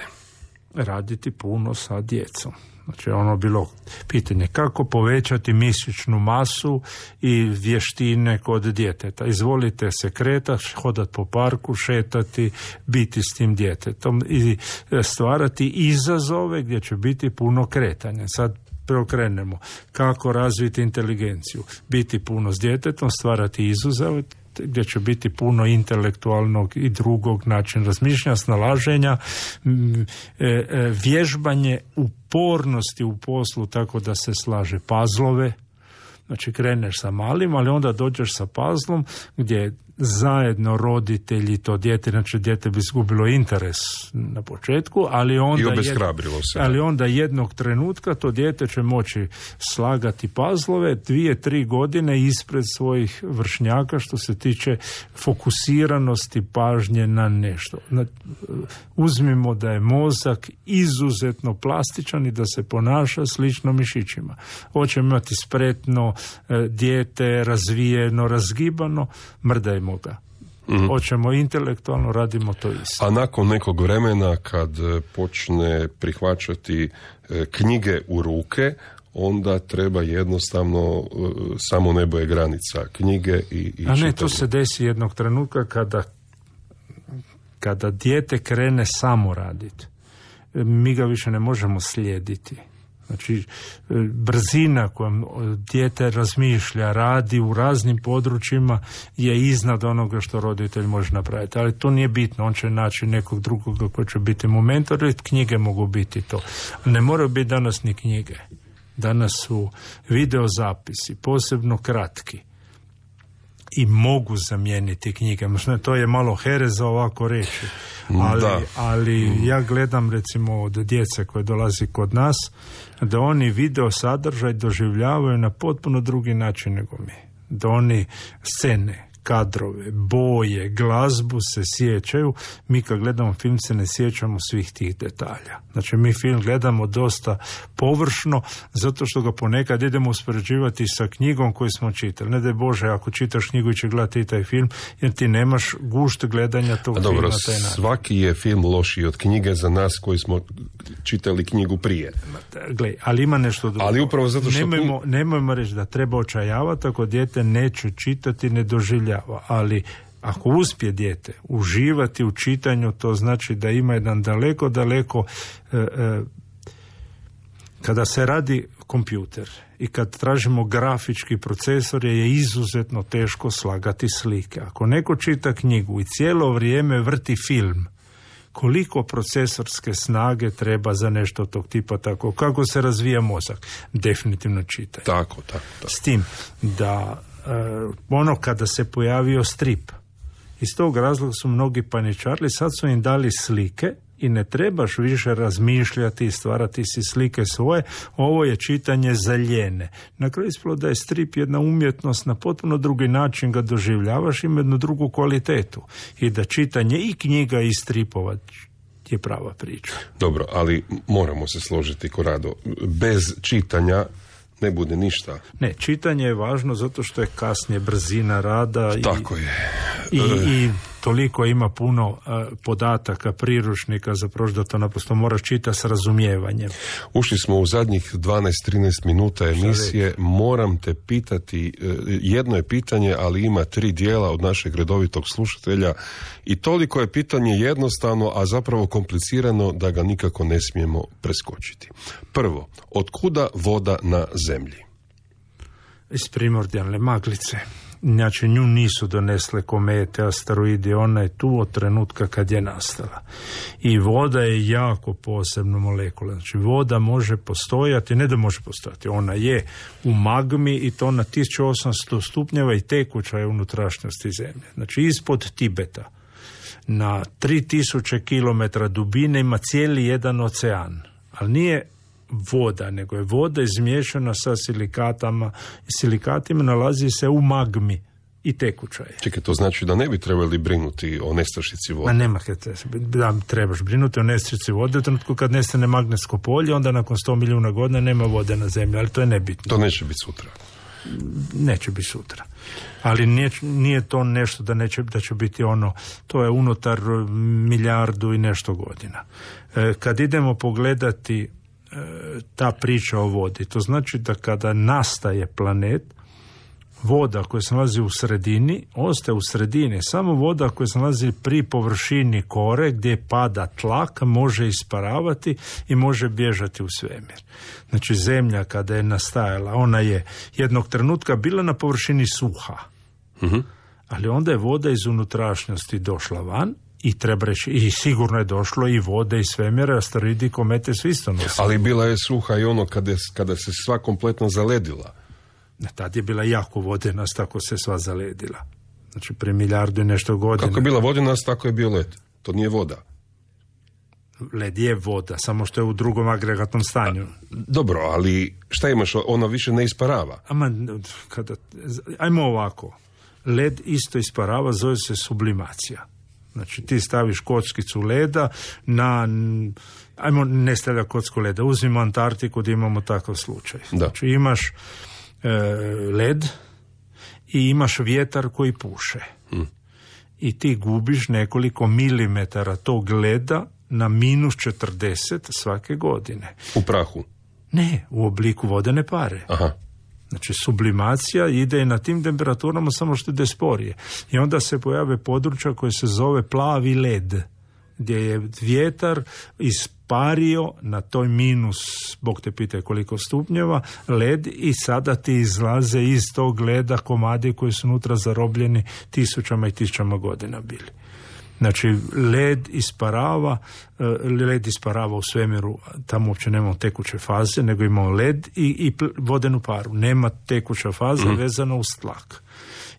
F: Raditi puno sa djecom. Znači ono bilo pitanje kako povećati mišićnu masu i vještine kod djeteta. Izvolite se kretati, hodati po parku, šetati, biti s tim djetetom i stvarati izazove gdje će biti puno kretanja. Sad preokrenemo. Kako razviti inteligenciju? Biti puno s djetetom, stvarati izazove gdje će biti puno intelektualnog i drugog načina razmišljanja, snalaženja, vježbanje upornosti u poslu tako da se slaže pazlove. Znači kreneš sa malim, ali onda dođeš sa pazlom gdje zajedno roditelji to dijete, znači dijete bi izgubilo interes na početku, ali onda,
E: I obeshrabrilo se.
F: ali onda jednog trenutka to dijete će moći slagati pazlove dvije, tri godine ispred svojih vršnjaka što se tiče fokusiranosti pažnje na nešto. Uzmimo da je mozak izuzetno plastičan i da se ponaša slično mišićima. Hoćemo imati spretno dijete, razvijeno, razgibano, mrdajmo ga. Mm-hmm. Hoćemo intelektualno, radimo to isto.
E: A nakon nekog vremena kad počne prihvaćati knjige u ruke, onda treba jednostavno samo nebo je granica knjige i, i
F: A ne,
E: čitanje.
F: to se desi jednog trenutka kada kada dijete krene samo raditi. Mi ga više ne možemo slijediti. Znači, brzina kojom dijete razmišlja, radi u raznim područjima je iznad onoga što roditelj može napraviti. Ali to nije bitno, on će naći nekog drugoga koji će biti momentor i knjige mogu biti to. Ne moraju biti danas ni knjige. Danas su videozapisi, posebno kratki. i mogu zamijeniti knjige. Možda to je malo hereza ovako reći. Ali, ali ja gledam recimo od djece koje dolazi kod nas da oni video sadržaj doživljavaju na potpuno drugi način nego mi. Da oni scene, kadrove, boje, glazbu se sjećaju. Mi kad gledamo film se ne sjećamo svih tih detalja. Znači mi film gledamo dosta površno zato što ga ponekad idemo uspoređivati sa knjigom koju smo čitali. Ne daj Bože, ako čitaš knjigu i će gledati taj film, jer ti nemaš gušt gledanja tog filma.
E: Dobro,
F: taj
E: svaki je film lošiji od knjige za nas koji smo čitali knjigu prije.
F: Gle, ali ima nešto drugo.
E: Ali upravo zato što...
F: Nemojmo, nemojmo reći da treba očajavati ako dijete neće čitati, ne doživlja. Ali ako uspije dijete uživati u čitanju, to znači da ima jedan daleko, daleko e, e, kada se radi kompjuter i kad tražimo grafički procesor je izuzetno teško slagati slike. Ako neko čita knjigu i cijelo vrijeme vrti film, koliko procesorske snage treba za nešto tog tipa, tako kako se razvija mozak? Definitivno čitanje.
E: Tako, tako, tako.
F: S tim da Uh, ono kada se pojavio strip, iz tog razloga su mnogi paničarili, sad su im dali slike i ne trebaš više razmišljati i stvarati si slike svoje, ovo je čitanje za ljene. Na kraju ispalo da je strip jedna umjetnost, na potpuno drugi način ga doživljavaš, ima jednu drugu kvalitetu i da čitanje i knjiga i stripova je prava priča.
E: Dobro, ali moramo se složiti, Korado, bez čitanja ne bude ništa.
F: Ne, čitanje je važno zato što je kasnije brzina rada.
E: Tako
F: i,
E: je.
F: I, i toliko ima puno uh, podataka, priručnika, zapravo da to naprosto moraš čitati s razumijevanjem.
E: Ušli smo u zadnjih dvanaest trinaest minuta emisije. Moram te pitati, uh, jedno je pitanje, ali ima tri dijela od našeg redovitog slušatelja i toliko je pitanje jednostavno, a zapravo komplicirano da ga nikako ne smijemo preskočiti. Prvo, od kuda voda na zemlji?
F: Iz primordijalne maglice. Znači nju nisu donesle komete, asteroidi, ona je tu od trenutka kad je nastala. I voda je jako posebna molekula. Znači voda može postojati, ne da može postojati, ona je u magmi i to na tisuću osamsto stupnjeva i tekuća je unutrašnjosti zemlje. Znači ispod Tibeta na tri tisuće kilometra dubine ima cijeli jedan ocean, ali nije voda, nego je voda izmiješana sa silikatama. Silikatima nalazi se u magmi i tekuća je.
E: Čekaj, to znači da ne bi trebali brinuti o nestašici vode?
F: Ma nema da trebaš brinuti o nestašici vode. U trenutku kad nestane magnetsko polje, onda nakon sto milijuna godina nema vode na zemlji, ali to je nebitno.
E: To neće biti sutra.
F: Neće biti sutra. Ali nije, nije to nešto da, neće, da će biti ono, to je unutar milijardu i nešto godina. E, kad idemo pogledati ta priča o vodi, to znači da kada nastaje planet, voda koja se nalazi u sredini ostaje u sredini. Samo voda koja se nalazi pri površini kore gdje pada tlak može isparavati i može bježati u svemir. Znači zemlja kada je nastajala, ona je jednog trenutka bila na površini suha. Uh-huh. Ali onda je voda iz unutrašnjosti došla van i treba reći, i sigurno je došlo i vode i svemira, asteroidi i komete su isto nosili.
E: Ali bila je suha i ono kada, kada se sva kompletno zaledila.
F: Tad je bila jako vodena, tako se sva zaledila. Znači, pre milijardu i nešto godina.
E: Kako je bila vodena, tako je bio led. To nije voda.
F: Led je voda, samo što je u drugom agregatnom stanju.
E: A, dobro, ali šta imaš? Ona više ne isparava.
F: Ama, kada, ajmo ovako. Led isto isparava, zove se sublimacija. Znači, ti staviš kockicu leda na... Ajmo, ne stavlja kocku leda. Uzmimo Antarktiku gdje imamo takav slučaj.
E: Da.
F: Znači, imaš e, led i imaš vjetar koji puše. Hmm. I ti gubiš nekoliko milimetara tog leda na minus četrdeset svake godine.
E: U prahu?
F: Ne, u obliku vodene pare.
E: Aha.
F: Znači, sublimacija ide i na tim temperaturama, samo što ide sporije. I onda se pojave područja koje se zove plavi led, gdje je vjetar ispario na toj minus, Bog te pitaj koliko stupnjeva, led i sada ti izlaze iz tog leda komadi koji su unutra zarobljeni tisućama i tisućama godina bili. Znači, led isparava, led isparava u svemiru, tamo uopće nemamo tekuće faze, nego imamo led i, i vodenu paru. Nema tekuća faza mm. vezana uz tlak.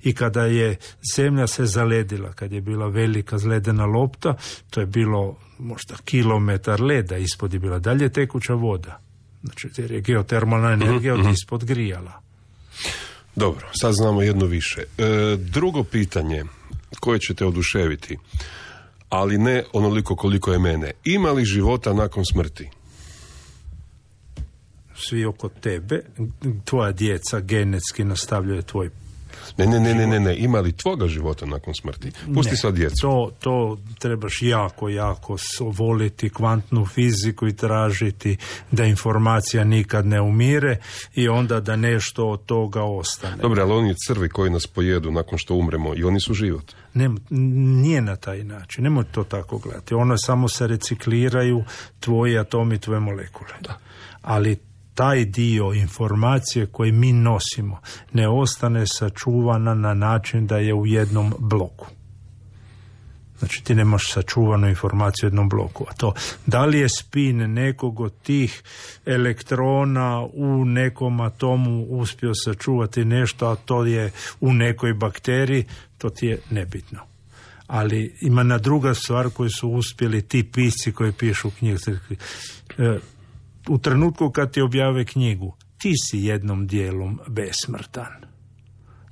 F: I kada je zemlja se zaledila, kad je bila velika ledena lopta, to je bilo možda kilometar leda, ispod je bila dalje tekuća voda. Znači, jer je geotermalna energija mm-hmm. od ispod grijala.
E: Dobro, sad znamo jedno više. E, drugo pitanje koje će te oduševiti, ali ne onoliko koliko je mene. Ima li života nakon smrti?
F: Svi oko tebe, tvoja djeca genetski nastavljaju tvoj
E: Ne, ne, ne, ne, ne, ne. Ima li tvoga života nakon smrti? Pusti ne, sad djecu.
F: To, to trebaš jako, jako voliti kvantnu fiziku i tražiti da informacija nikad ne umire i onda da nešto od toga ostane.
E: Dobro, ali oni crvi koji nas pojedu nakon što umremo, i oni su život.
F: Ne, nije na taj način. Nemoj to tako gledati. Ono samo se recikliraju tvoji atomi, tvoje molekule.
E: Da.
F: Ali taj dio informacije koji mi nosimo ne ostane sačuvana na način da je u jednom bloku. Znači ti nemaš sačuvanu informaciju u jednom bloku. A to, da li je spin nekog od tih elektrona u nekom atomu uspio sačuvati nešto, a to je u nekoj bakteriji, to ti je nebitno. Ali ima na druga stvar koju su uspjeli ti pisci koji pišu knjige. U trenutku kad ti objave knjigu, ti si jednom dijelom besmrtan.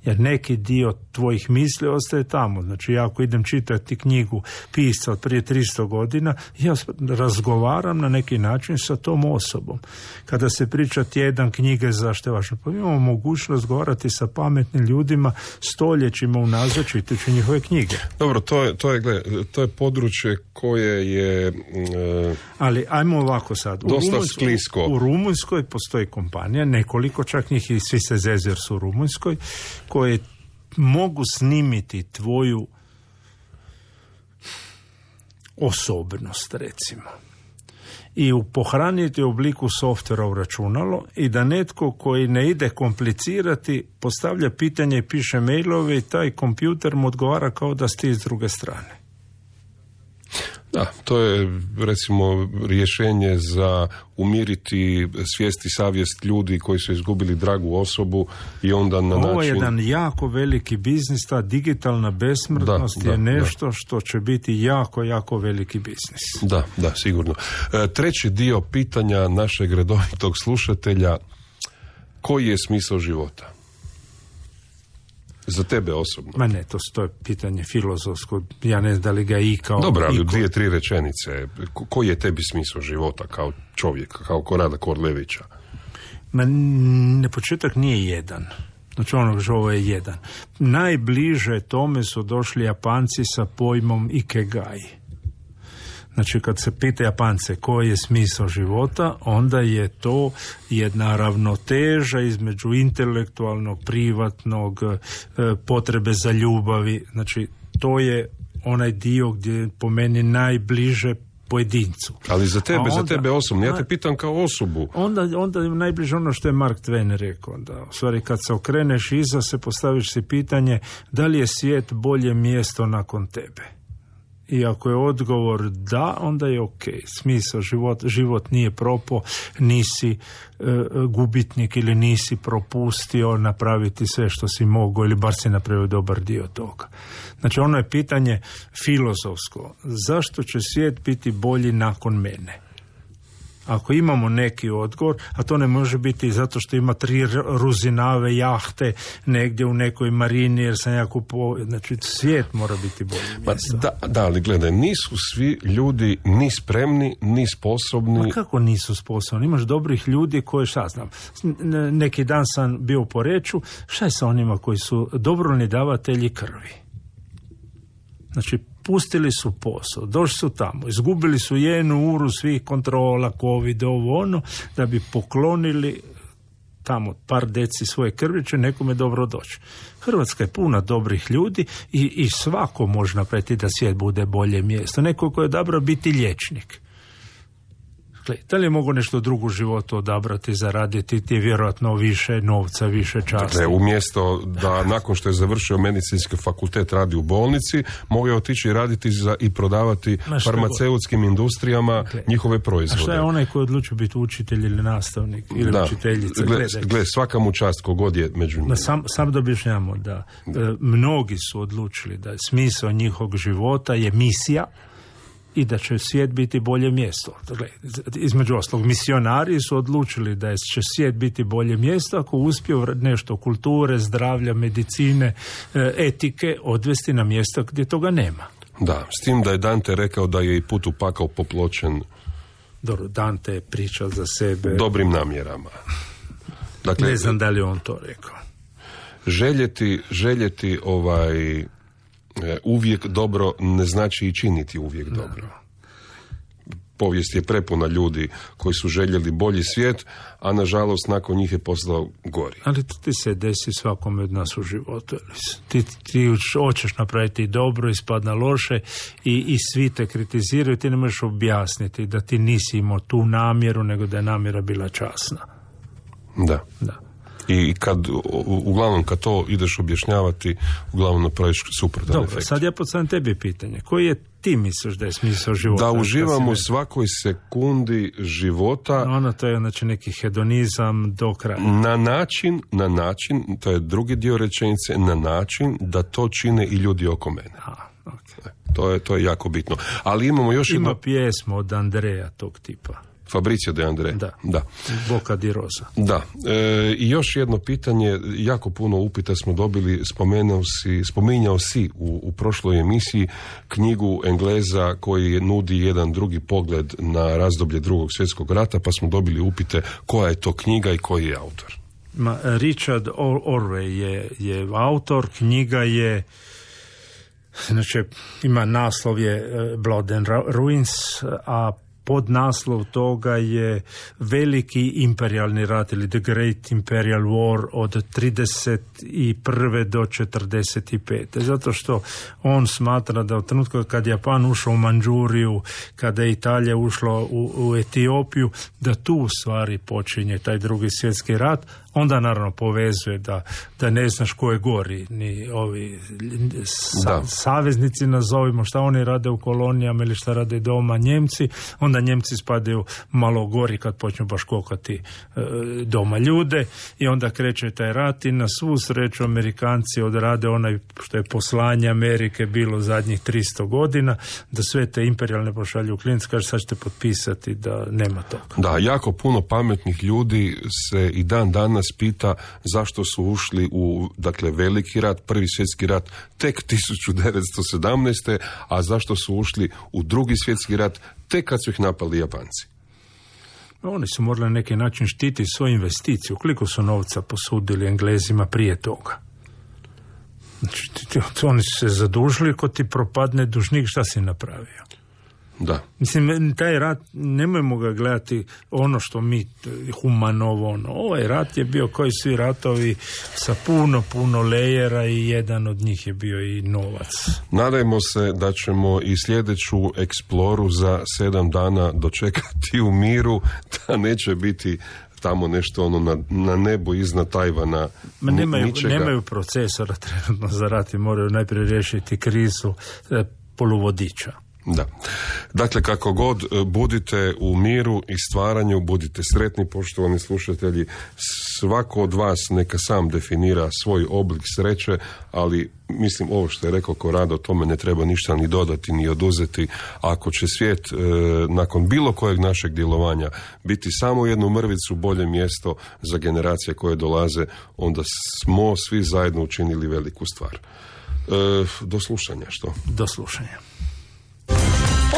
F: Jer neki dio tvojih misli ostaje tamo. Znači, ja ako idem čitati knjigu pisca od prije tristo godina, ja razgovaram na neki način sa tom osobom. Kada se priča tjedan knjige, zašto je važno? Pa imamo mogućnost govoriti sa pametnim ljudima stoljećima unazad čitajući njihove knjige.
E: Dobro, to je, to je, gled, to je područje koje je... E,
F: Ali ajmo ovako sad. U
E: dosta
F: Rumunjskoj,
E: sklisko.
F: U Rumunjskoj postoji kompanija, nekoliko čak njih i svi se zezu jer su u Rumunjskoj, koje mogu snimiti tvoju osobnost, recimo. I u pohraniti u obliku softvera u računalo i da netko koji ne ide komplicirati postavlja pitanje i piše mailove i taj kompjuter mu odgovara kao da ste iz druge strane.
E: Da, to je recimo rješenje za umiriti svijest i savjest ljudi koji su izgubili dragu osobu i onda na način...
F: Ovo je jedan jako veliki biznis, ta digitalna besmrtnost da, je da, nešto da. Što će biti jako, jako veliki biznis.
E: Da, da, sigurno. E, treći dio pitanja našeg redovitog slušatelja, koji je smisao života? Za tebe osobno.
F: Ma ne, to, to je pitanje filozofsko. Ja ne znam da li ga i kao...
E: Dobro, ali
F: iko...
E: dvije, tri rečenice. Ko, koji je tebi smisao života kao čovjeka, kao Korada Korlevića?
F: Ma ne, početak nije jedan. Znači ono što ovo je jedan. Najbliže tome su došli Japanci sa pojmom Ikegai. Znači, kad se pita Japance koji je smisao života, onda je to jedna ravnoteža između intelektualnog, privatnog, potrebe za ljubavi. Znači, to je onaj dio gdje je po meni najbliže pojedincu.
E: Ali za tebe,
F: onda,
E: za tebe osobno, ja te pitam kao osobu.
F: Onda, onda je najbliže ono što je Mark Twain rekao, da u stvari kad se okreneš iza se postaviš si pitanje da li je svijet bolje mjesto nakon tebe. I ako je odgovor da, onda je ok. Smisao život, život nije propao, nisi e, gubitnik ili nisi propustio napraviti sve što si mogao ili bar si napravio dobar dio toga. Znači ono je pitanje filozofsko. Zašto će svijet biti bolji nakon mene? Ako imamo neki odgovor, a to ne može biti zato što ima tri ruzinave jahte negdje u nekoj marini jer sam ja kupo... Znači, svijet mora biti bolji mjesto.
E: Da, da, ali gledaj, nisu svi ljudi ni spremni, ni sposobni.
F: Ma kako nisu sposobni? Imaš dobrih ljudi koji, šta znam, neki dan sam bio u Poreču, šta je sa onima koji su dobrovoljni davatelji krvi? Znači, pustili su posao, došli su tamo, izgubili su jednu uru svih kontrola, covid, ovo ono, da bi poklonili tamo par deci svoje krvi, će nekome dobro doći. Hrvatska je puna dobrih ljudi i, i svako može napraviti da svijet bude bolje mjesto. Neko ko je dobro biti liječnik. Dakle, da li je mogu nešto drugo u životu odabrati, zaraditi, ti je vjerojatno više novca, više časti.
E: Dakle, umjesto da nakon što je završio medicinski fakultet radi u bolnici, mogu je otići raditi za, i prodavati farmaceutskim industrijama dakle, njihove proizvode.
F: A šta je onaj koji odlučio biti učitelj ili nastavnik ili da. učiteljica?
E: Gle, gle, svaka mu čast kogod je među njima.
F: Sam, sam da objašnjamo da e, mnogi su odlučili da smisao njihovog života je misija i da će svijet biti bolje mjesto. Dakle, između ostalog, misionari su odlučili da će svijet biti bolje mjesto ako uspiju nešto kulture, zdravlja, medicine, etike odvesti na mjesto gdje toga nema.
E: Da, s tim da je Dante rekao da je i put u pakao popločen
F: Dobro, Dante je pričao za sebe
E: dobrim namjerama.
F: Dakle, ne znam da li on to rekao.
E: Željeti, željeti ovaj uvijek dobro ne znači i činiti uvijek dobro. dobro. Povijest je prepuna ljudi koji su željeli bolji svijet, a nažalost nakon njih je postao gori.
F: Ali to ti se desi svakome od nas u životu. Ti, ti hoćeš napraviti dobro, ispadna loše i, i svi te kritiziraju, ti ne možeš objasniti da ti nisi imao tu namjeru, nego da je namjera bila časna.
E: Da.
F: Da.
E: I kad, uglavnom, kad to ideš objašnjavati, uglavnom napraviš suprotan
F: Dobro,
E: efekt.
F: sad ja postavljam tebi pitanje. Koji je ti misliš da je smisao života?
E: Da uživamo u svakoj sekundi života.
F: Ono to je znači neki hedonizam do kraja.
E: Na način, na način, to je drugi dio rečenice, na način da to čine i ljudi oko mene.
F: Aha, okay.
E: To je, to je jako bitno. Ali imamo još
F: Ima
E: jedno...
F: pjesmu od Andreja tog tipa.
E: Fabrizio de André.
F: Da.
E: da.
F: Boca di Rosa.
E: Da. E, I još jedno pitanje, jako puno upita smo dobili, spomenuo si, spominjao si u, u prošloj emisiji knjigu Engleza koji nudi jedan drugi pogled na razdoblje Drugog svjetskog rata, pa smo dobili upite koja je to knjiga i koji je autor.
F: Ma, Richard Orwell je, je autor, knjiga je znači ima naslov je Blood and Ruins, a pod naslov toga je veliki imperijalni rat ili The Great Imperial War od trideset prve do četrdeset pete. Zato što on smatra da od trenutka kad Japan ušao u Mandžuriju, kada je Italija ušla u, u Etiopiju, da tu u stvari počinje taj drugi svjetski rat. Onda naravno povezuje da, da ne znaš ko je gori, ni ovi sa, saveznici nazovimo, šta oni rade u kolonijama ili šta rade doma Njemci, onda Njemci spadaju malo gori kad počnu baš kokati e, doma ljude i onda kreće taj rat i na svu sreću Amerikanci odrade onaj što je poslanje Amerike bilo zadnjih tristo godina, da sve te imperijalne pošalju u klinac, kaže sad ćete potpisati da nema toga.
E: Da, jako puno pametnih ljudi se i dan danas pita zašto su ušli u, dakle, veliki rat, prvi svjetski rat tek tisuću devetsto sedamnaeste. a zašto su ušli u drugi svjetski rat tek kad su ih napali Japanci.
F: Oni su morali na neki način štiti svoju investiciju. Koliko su novca posudili Englezima prije toga? Znači, oni su se zadužili, ko ti propadne dužnik, šta si napravio?
E: Da.
F: Mislim, taj rat, nemojmo ga gledati ono što mi humanovo, ono. Ovaj rat je bio koji svi ratovi sa puno, puno lejera i jedan od njih je bio i novac.
E: Nadajmo se da ćemo i sljedeću eksploru za sedam dana dočekati u miru, da neće biti tamo nešto ono na, na nebu iznad Tajvana.
F: Ma nemaju, nemaju procesora trenutno za rat i moraju najprije riješiti krizu e, poluvodiča.
E: Da. Dakle, kako god, budite u miru i stvaranju, budite sretni, poštovani slušatelji. Svako od vas neka sam definira svoj oblik sreće, ali mislim ovo što je rekao Korado, tome ne treba ništa ni dodati ni oduzeti. Ako će svijet e, nakon bilo kojeg našeg djelovanja biti samo jednu mrvicu bolje mjesto za generacije koje dolaze, onda smo svi zajedno učinili veliku stvar. E, do slušanja, što?
F: Do slušanja.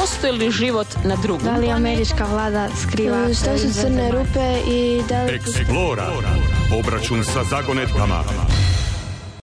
A: Postoji li život na drugom?
B: Da li američka vlada skriva? Što su crne rupe i da li...
D: Explora. Obračun sa zagonetkama.